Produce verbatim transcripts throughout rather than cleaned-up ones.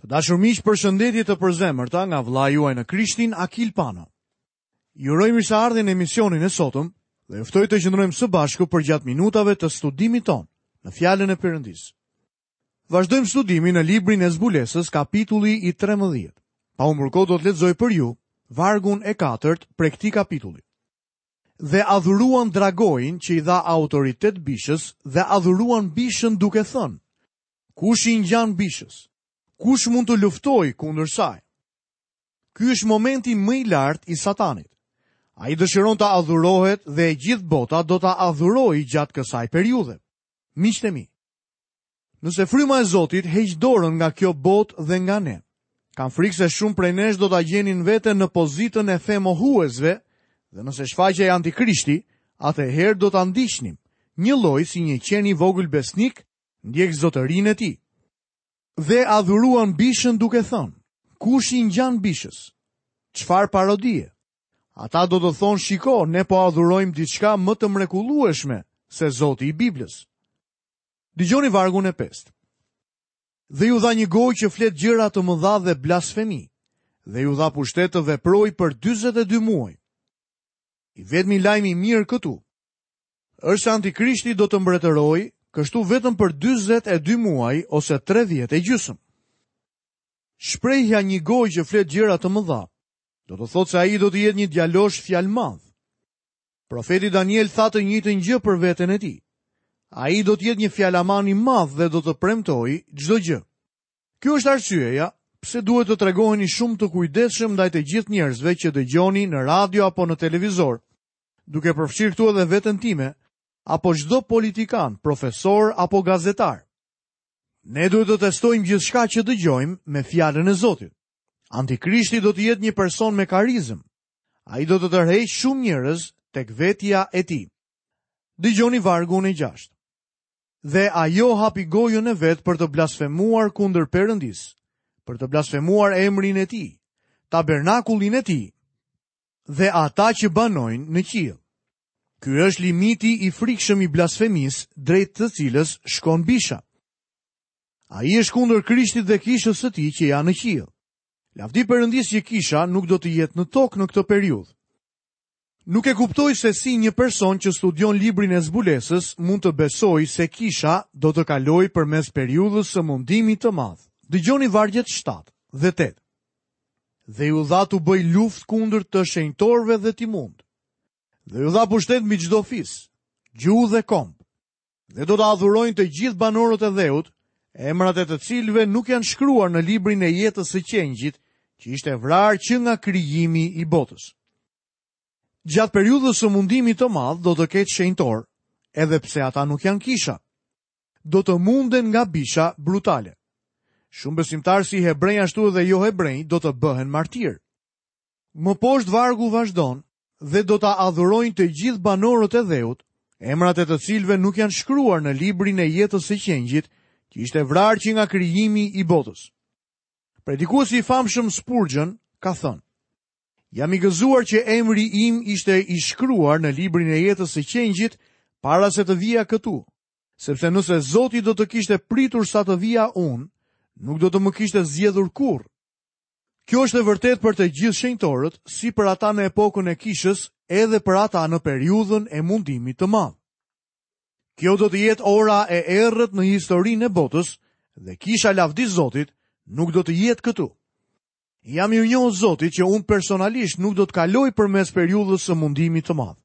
Të dashur miq, përshëndetje të përzemërta nga vëllai juaj në Krishtin, Akil Pano. Ju uroj mirëseardhjen në emisionin e sotëm dhe ju ftoj të qëndrojmë së bashku përgjatë minutave të studimit tonë në Fjalën e Perëndisë. Vazhdojmë studimin në librin e Zbulesës, kapitulli i trembëdhjetë. Pa humbur kohë do të lexoj për ju vargun e katërt prej këtij kapitulli. Dhe adhuruan dragoin që i dha autoritet bishës dhe adhuruan bishën duke thënë: Kush i ngjan bishës? Kush mund të luftojë kundër saj? Ky është momenti më i lartë i Satanit. Ai dëshiron të adhurohet dhe e gjithë bota do ta adhurojë gjatë kësaj periudhe. Miqtë e mi, nëse fryma e Zotit heq dorën nga kjo botë dhe nga ne, kam frikë se shumë prej nesh do ta gjenin veten në pozitën e femohuesve dhe nëse shfaqej antikrishti, atëherë do ta ndiqnim, një lloj si një qen i vogël besnik ndjek zotërinë e tij. Dhe adhuruan bishën duke thënë: Kush i ngjan bishës? Çfarë parodie? Ata do të thonë: Shiko, ne po adhurojmë diçka më të mrekullueshme se Zoti i Biblës. Dëgjoni vargun e pestë. Dhe ju dha një gojë që flet gjëra të mëdha dhe blasfemi, dhe ju dha pushtet të veprojë për dyzet e dy muaj. I vetmi lajm i mirë këtu është se antikrishti do të mbretërojë kështu vetëm për dyzet e dy muaj ose tre vjet e gjysmë. Shprehja një gojë që flet gjëra të mëdha, do të thotë se ai do të jetë një djalosh fjalmadh. Profeti Daniel tha të njëjtën gjë për veten e tij. Ai do të jetë një fjalaman i madh dhe do të premtojë çdo gjë. Kjo është arsyeja pse duhet të tregoheni shumë të kujdesshëm ndaj të gjithë njerëzve që dëgjoni në radio apo në televizor, duke përfshirë këtu edhe veten time, apo çdo politikan, profesor apo gazetar. Ne duhet të testojmë gjithçka që dëgjojmë me fjalën e Zotit. Antikrishti do të jetë një person me karizëm. Ai do të tërheqë shumë njerëz tek vetja e tij. Dëgjoni vargun e gjashtë. Dhe ajo hapi gojën e vet për të blasfemuar kundër Perëndisë, për të blasfemuar emrin e tij, tabernakullin e tij dhe ata që banojnë në qiell. Ky është limiti i frikshëm i blasfemisë drejt të cilës shkon bisha. Ai është kundër Krishtit dhe kishës së tij që janë në qiell. Lavdi Perëndisë që kisha nuk do të jetë në tokë në këtë periudhë. Nuk e kuptoj se si një person që studion librin e zbulesës mund të besojë se kisha do të kalojë përmes periudhës së mundimit të madh. Dëgjoni vargjet shtatë dhe tetë. Dhe ju dha t'u bëj luftë kundër të shenjtorëve dhe t'i mund. Dhe ju dha pushtet mbi çdo fis, gjuhë dhe komb. Dhe do të adhurojnë të gjithë banorët e dheut, emrat e të cilëve nuk janë shkruar në librin e jetës së qengjit, që ishte vrarë që nga krijimi i botës. Gjatë periudhës së mundimit të madh do të ketë shenjtor, edhe pse ata nuk janë kisha. Do të munden nga bisha brutale. Shumë besimtarë si hebrenj ashtu edhe jo hebrenj do të bëhen martir. Më poshtë vargu vazhdon dhe do ta adhurojnë të gjithë banorët e dheut, emrat e të cilëve nuk janë shkruar në librin e jetës së qengjit, që ishte vrarë që nga krijimi i botës. Predikuesi i famshëm Spurgeon ka thënë: Jam i gëzuar që emri im ishte i shkruar në librin e jetës së qengjit para se të vija këtu, sepse nëse Zoti do të kishte pritur sa të vija unë, nuk do të më kishte zgjedhur kurrë. Kjo është e vërtetë për të gjithë shenjtorët, si për ata në epokën e kishës, edhe për ata në periudhën e mundimit të madh. Kjo do të jetë ora e errët në historinë e botës dhe kisha lavdi Zotit nuk do të jetë këtu. Jam mirënjohës Zotit që unë personalisht nuk do të kaloj përmes periudhës së mundimit të madh.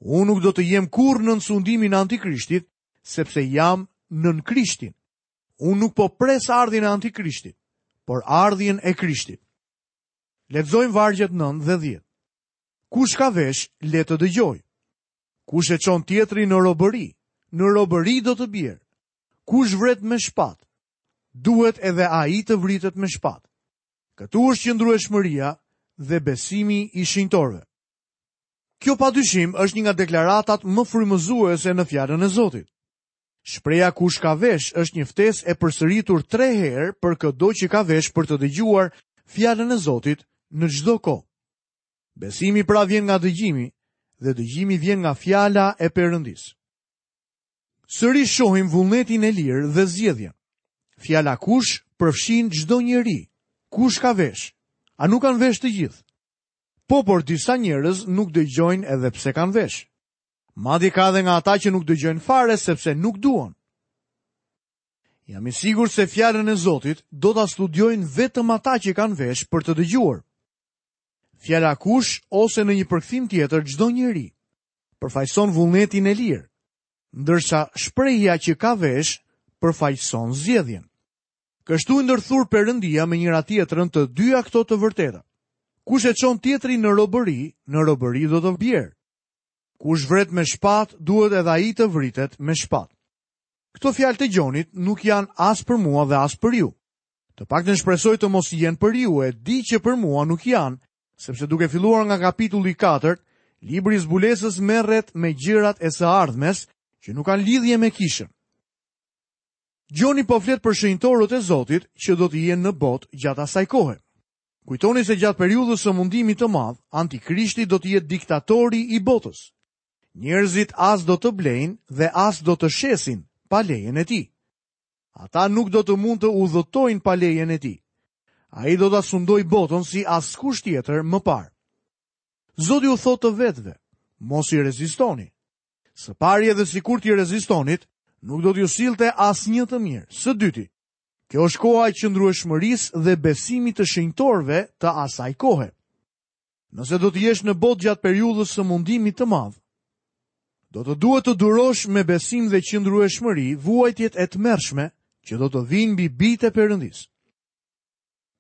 Unë nuk do të jem kurrë nën sundimin e Antikrishtit, sepse jam nën Krishtin. Unë nuk po pres ardhjen e Antikrishtit, por ardhjen e Krishtit. Lexojmë vargjet nëntë dhe dhjetë. Kush ka vesh, le të dëgjojë. Kush e çon tjetrin në robëri, në robëri do të bjerë. Kush vret me shpat, duhet edhe ai të vritet me shpat. Këtu është qëndrueshmëria dhe besimi i shenjtorëve. Kjo padyshim është një nga deklaratat më frymëzuese në fjalën e Zotit. Shpreha kush ka vesh është një ftesë e përsëritur tre herë për këdo që ka vesh për të dëgjuar fjalën e Zotit në çdo kohë. Besimi pra vjen nga dëgjimi dhe dëgjimi vjen nga fjala e Perëndisë. Sërish shohim vullnetin e lirë dhe zgjedhjen. Fjala kush përfshin çdo njeri. Kush ka vesh? A nuk kanë vesh të gjithë? Po, por disa njerëz nuk dëgjojnë edhe pse kanë vesh. Madje ka edhe nga ata që nuk dëgjojnë fare sepse nuk duan. Jam i sigurt se fjalën e Zotit do ta studiojnë vetëm ata që kanë vesh për të dëgjuar. Fjala kush ose në një përkthim tjetër çdo njeri përfaqëson vullnetin e lirë, ndërsa shprehja që ka vesh përfaqëson zgjedhjen. Kështu i ndërthur Perëndia me njëra tjetrën të dyja këto të vërteta. Kush e çon tjetrin në robëri, në robëri do të bjerë. Kush vret me shpat, duhet edhe ai të vritet me shpat. Këto fjalë të Gjonit nuk janë as për mua dhe as për ju. Të paktën shpresoj të mos jenë për ju, e di që për mua nuk janë, sepse duke filluar nga kapitulli katër, libri i zbulesës merret me gjërat e së ardhmes që nuk kanë lidhje me kishën. Gjoni po flet për shenjtorët e Zotit që do të jenë në botë gjatë asaj kohe. Kujtoni se gjatë periudhës së mundimit të madh, Antikrishti do të jetë diktatori i botës. Njerëzit as do të blejnë dhe as do të shesin pa lejen e tij. Ata nuk do të mund të udhëtojnë pa lejen e tij. Ai do ta sundojë botën si askush tjetër më parë. Zoti u thotë të vetëve, mos i rezistoni. Së pari edhe sikur t'i rezistonit, nuk do t'ju sillte asnjë të mirë. Së dyti, kjo është koha e qëndrueshmërisë dhe besimit të shenjtorëve të asaj kohe. Nëse do të jesh në botë gjatë periudhës së mundimit të madh, do të duhet të durosh me besim dhe qëndrueshmëri vuajtjet e tmerrshme që do të vinë mbi bijtë e Perëndisë.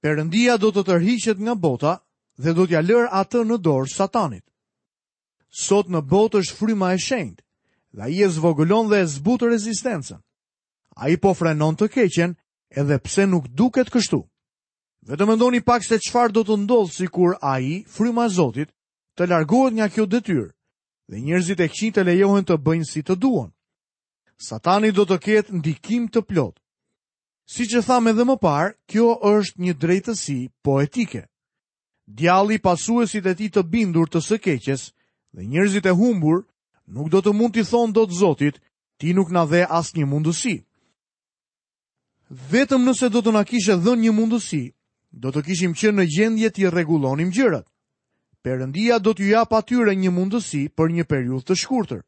Perëndia do të tërhiqet nga bota dhe do t'ja lërë atë në dorë Satanit. Sot në botë është fryma e shenjtë dhe ai e zvogëlon dhe e zbut rezistencën. Ai po frenon të keqen edhe pse nuk duket kështu. Vetëm mendoni pak se çfarë do të ndodhë sikur ai, fryma e Zotit, të largohet nga kjo detyrë dhe njerëzit e këqij të lejohen të bëjnë si të duan. Satani do të ketë ndikim të plot. Siç e thamë edhe më parë, kjo është një drejtësi poetike. Djalli, pasuesit e tij të bindur të së keqes dhe njerëzit e humbur nuk do të mund t'i thonë dot Zotit, ti nuk na dhe asnjë mundësi. Vetëm nëse do të na kishe dhënë një mundësi, do të kishim qenë në gjendje t'i rregullonim gjërat. Perëndia do t'ju japë atyre një mundësi për një periudhë të shkurtër.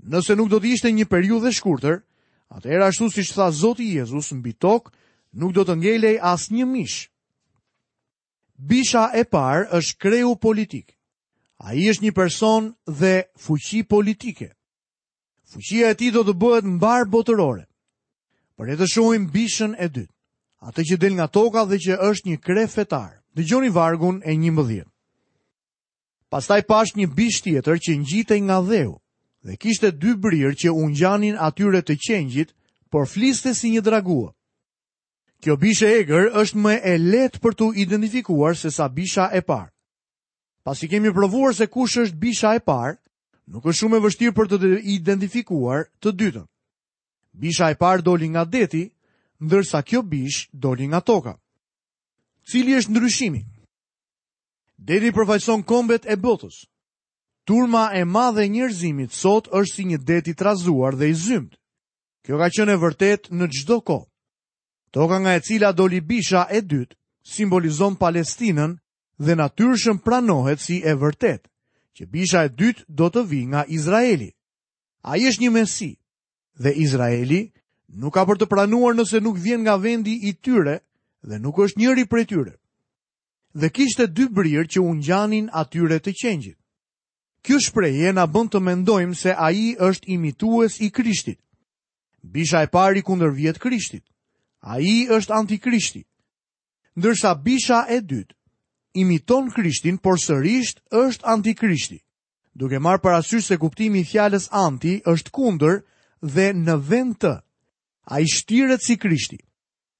Nëse nuk do të ishte një periudhë e shkurtër, atëherë ashtu siç tha Zoti Jezus, mbi tokë nuk do të ngelej asnjë mish. Bisha e parë është kreu politik. Ai është një person dhe fuqi politike. Fuqia e tij do të bëhet mbar botërore. Por le të shohim bishën e dytë, atë që del nga toka dhe që është një kre fetar. Dëgjoni vargun e njëmbëdhjetë. Pastaj pash një bish tjetër që ngjitej nga dheu dhe kishte dy brirë që u ngjanin atyre të qengjit, por fliste si një dragua. Kjo bishë e egër është më e lehtë për t'u identifikuar se sa bisha e parë. Pasi kemi provuar se kush është bisha e parë, nuk është shumë e vështirë për të identifikuar të dytën. Bisha e parë doli nga deti, ndërsa kjo bishë doli nga toka. Cili është ndryshimi? Deti përfaqëson kombet e botës. Turma e madhe e njerëzimit sot është si një det i trazuar dhe i zymtë. Kjo ka qenë e vërtetë në çdo kohë. Toka nga e cila doli bisha e dytë simbolizon Palestinën dhe natyrshëm pranohet si e vërtetë, që bisha e dytë do të vijë nga Izraeli. Ai është një mesi dhe Izraeli nuk ka për të pranuar nëse nuk vjen nga vendi i tyre dhe nuk është njëri prej tyre. Dhe kishte dy brirë që u ngjanin atyre të qengjit. Kjo shprehje na bën të mendojmë se ai është imitues i Krishtit. Bisha e parë i kundërvihet Krishtit. Ai është antikrishti. Ndërsa bisha e dytë imiton Krishtin, por sërisht është antikrishti. Duke marrë parasysh se kuptimi i fjalës anti është kundër dhe në vend të. Ai shtiret si Krishti.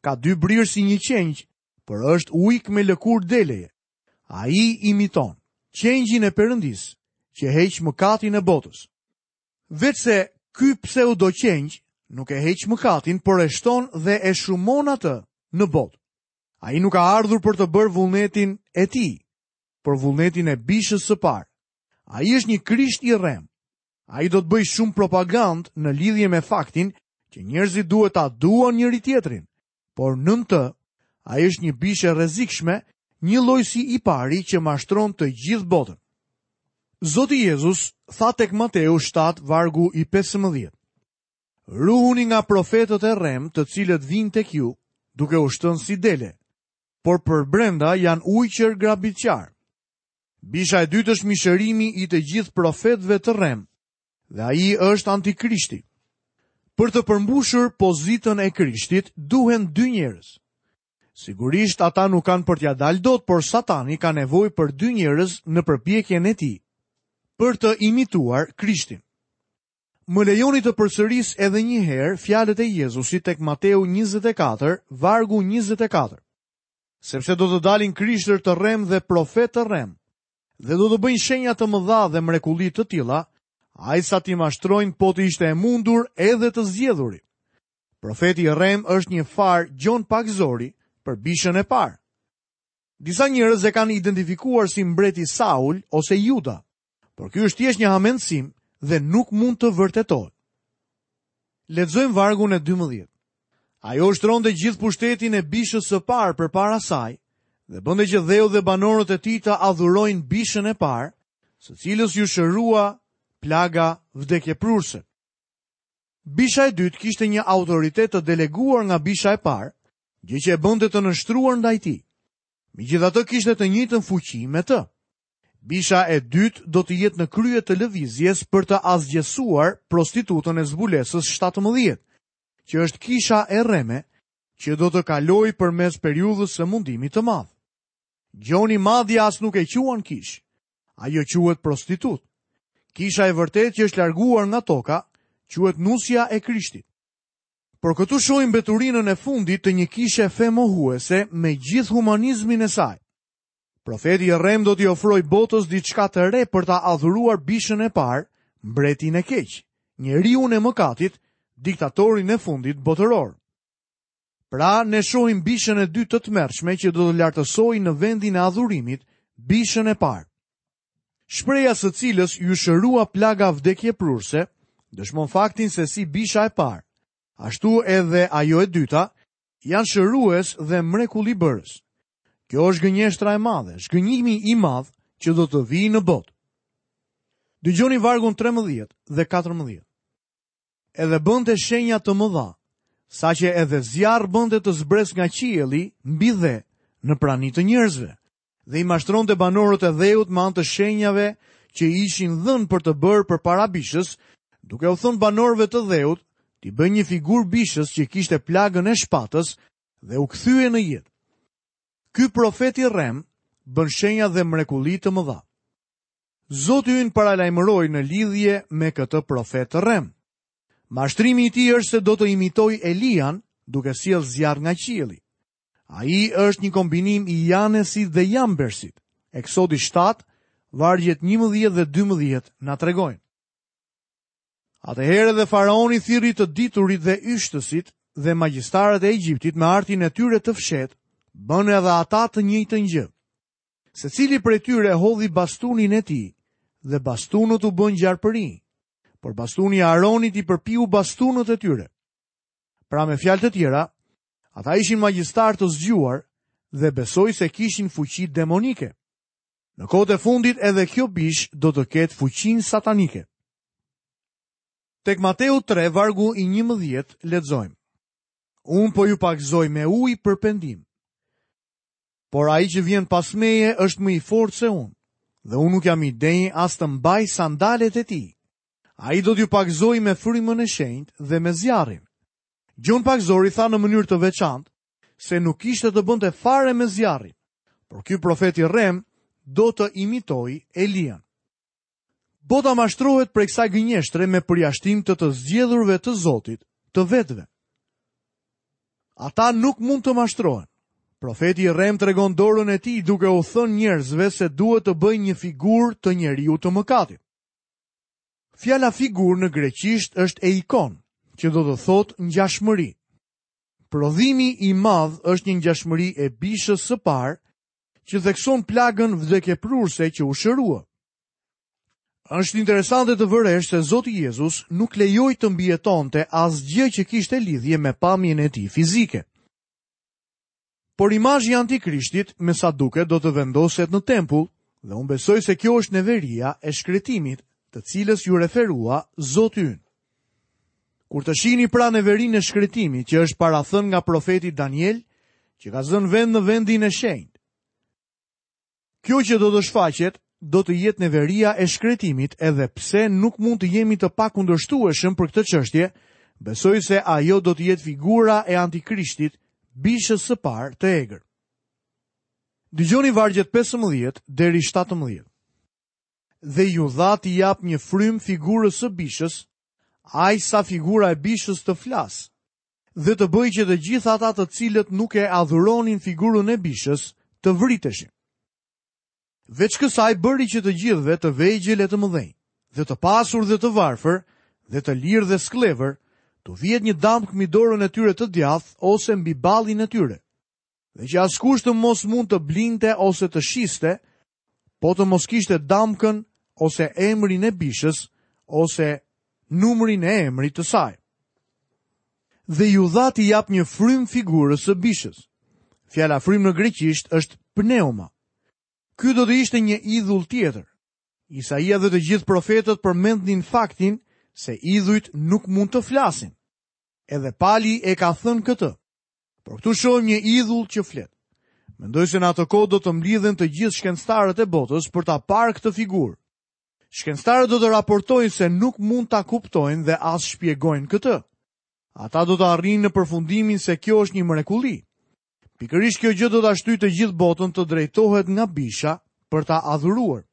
Ka dy brirë si një qengj, por është ujk me lëkurë deleje. Ai imiton qengjin e Perëndisë, që heq mëkatin e botës. Veçse ky pseudo qengj nuk e heq mëkatin, por e shton dhe e shumon atë në botë. Ai nuk ka ardhur për të bërë vullnetin e tij, por vullnetin e bishës së parë. Ai është një Krisht i rrem. Ai do të bëjë shumë propagandë në lidhje me faktin që njerëzit duhet ta duan njëri tjetrin, Por nën të, ai është një bishë e rrezikshme, njëlloj si i pari që mashtron të gjithë botën. Zoti Jezus tha tek Mateu shtatë vargu i pesëmbëdhjetë. Ruhuni nga profetët e rremë, të cilët vijnë tek ju, duke u shtënë si dele, por përbrenda janë ujqër grabitqar. Bisha e dytë është mishërimi i të gjithë profetëve të rremë, dhe ai është antikrishti. Për të përmbushur pozitën e Krishtit, duhen dy njerëz. Sigurisht ata nuk kanë për t'ia dalë dot, por Satani ka nevojë për dy njerëz në përpjekjen e tij për të imituar Krishtin. Më lejoni të përsëris edhe një herë fjalët e Jezusit tek Mateu njëzet e katër, vargu njëzet e katër. Sepse do të dalin krishtër të rremë dhe profetë të rremë, dhe do të bëjnë shenja të mëdha dhe mrekulli të tilla, aq sa t'i mashtrojnë po të ishte e mundur edhe të zgjedhurit. Profeti i rremë është një farë Gjon Pagëzori për bishën e parë. Disa njerëz e kanë identifikuar si mbreti Saul ose Juda, por ky është thjesht një hamendësim dhe nuk mund të vërtetohet. Lexojmë vargun e dymbëdhjetë. Ajo ushtronte gjithë pushtetin e bishës së parë përpara saj dhe bënte që dheu dhe banorët e tij të adhurojnë bishën e parë, së cilës ju shërua plaga vdekjeprurse. Bisha e dytë kishte një autoritet të deleguar nga bisha e parë, gjë që e bënte të nënshtruar ndaj tij. Megjithatë kishte të njëjtën fuqi me të. Bisha e dytë do të jetë në krye të lëvizjes për të asgjësuar prostitutën e zbulesës shtatëmbëdhjetë, që është kisha e rreme, që do të kalojë përmes periudhës së mundimit të madh. Gjoni madje as nuk e quan kish. Ajo quhet prostitut. Kisha e vërtetë që është larguar nga toka, quhet nusja e Krishtit. Por këtu shohim mbeturinën e fundit të një kishe femohuese me gjithë humanizmin e saj. Profeti i rrem do t'i ofrojë botës diçka të re për ta adhuruar bishën e parë, mbretin e keq, njeriun e mëkatit, diktatorin e fundit botëror. Pra, ne shohim bishën e dytë të tmerrshme që do të lartësojë në vendin e adhurimit bishën e parë. Shpreha së cilës ju shërua plaga vdekjeprurse, dëshmon faktin se si bisha e parë, ashtu edhe ajo e dyta, janë shërues dhe mrekullibërës. Kjo është gënjeshtra e madhe, zhgënjimi i madh që do të vijë në botë. Dëgjoni vargun trembëdhjetë dhe katërmbëdhjetë. Edhe bënte shenja të mëdha, saqë edhe zjarr bënte të zbres nga qielli mbi dhe në prani të njerëzve, dhe i mashtronte banorët e dheut me anë të shenjave që ishin dhënë për të bërë përpara bishës, duke u thënë banorëve të dheut t'i bëjnë një figurë bishës që kishte plagën e shpatës dhe u kthye në jetë. Ky profet i rrem bën shenja dhe mrekulli të mëdha. Zoti ynë paralajmëroi në lidhje me këtë profet të rrem. Mashtrimi i tij është se do të imitojë Elian duke sjellë zjarr nga qielli. Ai është një kombinim i Janesit dhe Jambersit. Eksodi shtatë, vargjet njëmbëdhjetë dhe dymbëdhjetë na tregojnë. Atëherë edhe faraoni thirri të diturit dhe yshtësit dhe magjistarët e Egjiptit me artin e tyre të fshehtë, bënë edhe ata të njëjtën gjë. Secili prej tyre hodhi bastunin e tij dhe bastunët u bënë gjarpërinj, por bastuni i Aronit i përpiu bastunët e tyre. Pra me fjalë të tjera, ata ishin magjistarë të zgjuar dhe besoi se kishin fuqi demonike. Në kohët e fundit edhe kjo bish do të ketë fuqinë satanike. Tek Mateu tre, vargu i njëmbëdhjetë, lexojmë. Unë po ju pagëzoj me ujë për pendim. Por ai që vjen pas meje është më i fortë se unë, dhe unë nuk jam i denjë as të mbaj sandalet e tij. Ai do t'ju pagëzojë me frymën e shenjtë dhe me zjarrin. Gjon Pagëzori tha në mënyrë të veçantë se nuk kishte të bënte fare me zjarrin, por ky profet i rrem do të imitojë Elian. Bota mashtrohet prej kësaj gënjeshtre me përjashtim të të zgjedhurve të Zotit, të vetëve. Ata nuk mund të mashtrohen. Profeti i rrem tregon dorën e tij duke u thënë njerëzve se duhet të bëjnë një figurë të njeriu të mëkatit. Fjala figurë në greqisht është eikon, që do të thotë ngjashmëri. Prodhimi i madh është një ngjashmëri e bishës së parë që thekson plagën vdekjeprurse që u shërua. Është interesante të vëresh se Zoti Jezus nuk lejoi të mbijetonte asgjë që kishte lidhje me pamjen e tij fizike. Por imazhi i Antikrishtit, me sa duket, do të vendoset në tempull, dhe unë besoj se kjo është neveria e shkretimit, të cilës ju referua Zoti ynë. Kur të shihni pra neverinë e shkretimit që është parathënë nga profeti Daniel, që ka zënë vend në vendin e shenjtë. Kjo që do të shfaqet do të jetë neveria e shkretimit, edhe pse nuk mund të jemi të pakundërshtueshëm për këtë çështje, besoj se ajo do të jetë figura e Antikrishtit, bishës së parë të egër. Dëgjoni vargjet pesëmbëdhjetë deri shtatëmbëdhjetë. Dhe ju dha t'i jap një frymë figurës së bishës, aq sa figura e bishës të flasë, dhe të bëjë që të gjithë ata të cilët nuk e adhuronin figurën e bishës të vriteshin. Veç kësaj bëri që të gjithëve të vegjël e të mëdhenj, dhe të pasur dhe të varfër, dhe të lirë dhe skllevër, t'u vihet një damkë mbi dorën e tyre të djathtë ose mbi ballin e tyre, dhe që askush të mos mund të blinte ose të shiste, po të mos kishte damkën ose emrin e bishës ose numrin e emrit të saj. Dhe ju dha t'i jap një frymë figurës së bishës. Fjala frymë në greqisht është pneuma. Ky do të ishte një idhull tjetër. Isaia dhe të gjithë profetët përmendnin faktin se idhujt nuk mund të flasin. Edhe Pali e ka thënë këtë. Por këtu shohim një idhull që flet. Mendoj se në atë kohë do të mblidhen të gjithë shkencëtarët e botës për ta parë këtë figurë. Shkencëtarët do të raportojnë se nuk mund ta kuptojnë dhe as shpjegojnë këtë. Ata do të arrijnë në përfundimin se kjo është një mrekulli. Pikërisht kjo gjë do ta shtyjë të gjithë botën të drejtohet nga bisha për ta adhuruar.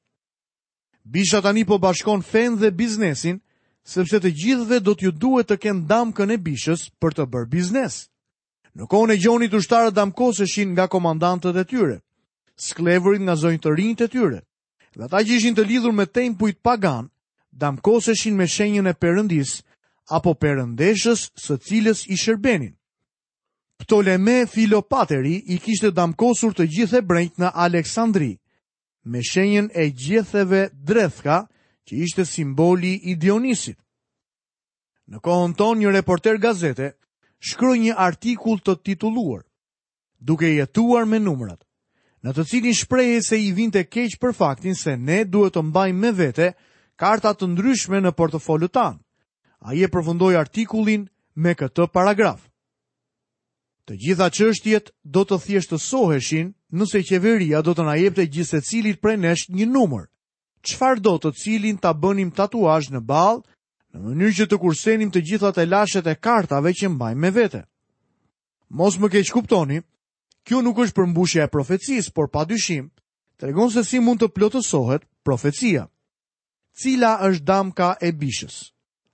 Bisha tani po bashkon fen dhe biznesin, sepse të gjithëve do t'ju duhet të kenë damkën e bishës për të bërë biznes. Në kohën e Gjonit ushtarët damkoseshin nga komandantët e tyre, skllevërit nga zonjërinjtë e tyre, dhe ata që ishin të lidhur me tempujt pagan, damkoseshin me shenjën e perëndisë apo perëndeshës së cilës i shërbenin. Ptoleme Filopateri i kishte damkosur të gjithë hebrejt në Aleksandri, me shenjën e gjetheve drethka, që ishte simboli i Dionisit. Në kohën tonë një reporter gazete shkroi një artikull të titulluar Duke jetuar me numrat, në të cilin shprehej se i vinte keq për faktin se ne duhet të mbajmë me vete karta të ndryshme në portofolët tanë. Ai e përfundoi artikullin me këtë paragraf. Të gjitha çështjet do të thjeshtësoheshin nëse qeveria do të na jepte gjithsecilit prej nesh një numër, çfarë do të cilin ta bënim tatuazh në ballë, në mënyrë që të kursenim të gjitha telashet e kartave që mbajmë me vete. Mos më keq kuptoni, kjo nuk është përmbushja e profecisë, por padyshim tregon se si mund të plotësohet profecia. Cila është damka e bishës?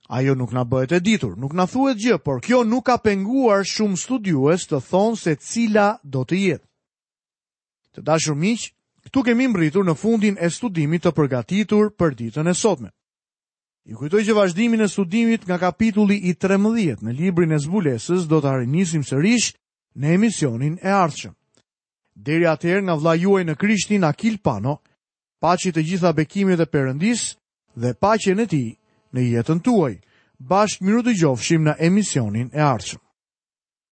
Ajo nuk na bëhet e ditur, nuk na thuhet gjë, por kjo nuk ka penguar shumë studiues të thonë se cila do të jetë. Të dashur miq, këtu kemi mbërritur në fundin e studimit të përgatitur për ditën e sotme. Ju kujtoj që vazhdimin e studimit nga kapitulli i trembëdhjetë në librin e zbulesës do ta rinisim sërish në emisionin e ardhshëm. Deri atëherë nga vëllai juaj në Krishtin Akil Pano, paçi të gjitha bekimet e Perëndisë dhe paqen e tij në jetën tuaj. Bashkë mirudëgjofshim në emisionin e ardhshëm.